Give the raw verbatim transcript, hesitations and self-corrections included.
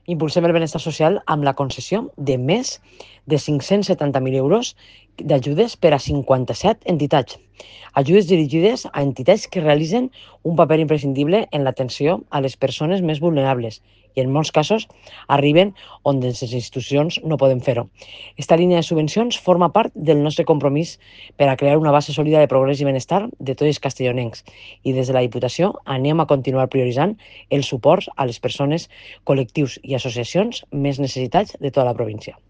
Impulsem el benestar social amb la concessió de més de cinc-cents setanta mil euros d'ajudes per a cinquanta-set entitats. Ajudes dirigides a entitats que realitzen un paper imprescindible en l'atenció a les persones més vulnerables i en molts casos arriben on les institucions no poden fer-ho. Esta línia de subvencions forma part del nostre compromís per a crear una base sòlida de progrés i benestar de tots els castellonencs i des de la Diputació anem a continuar prioritzant el suport a les persones, col·lectius i associacions més necessitats de tota la província.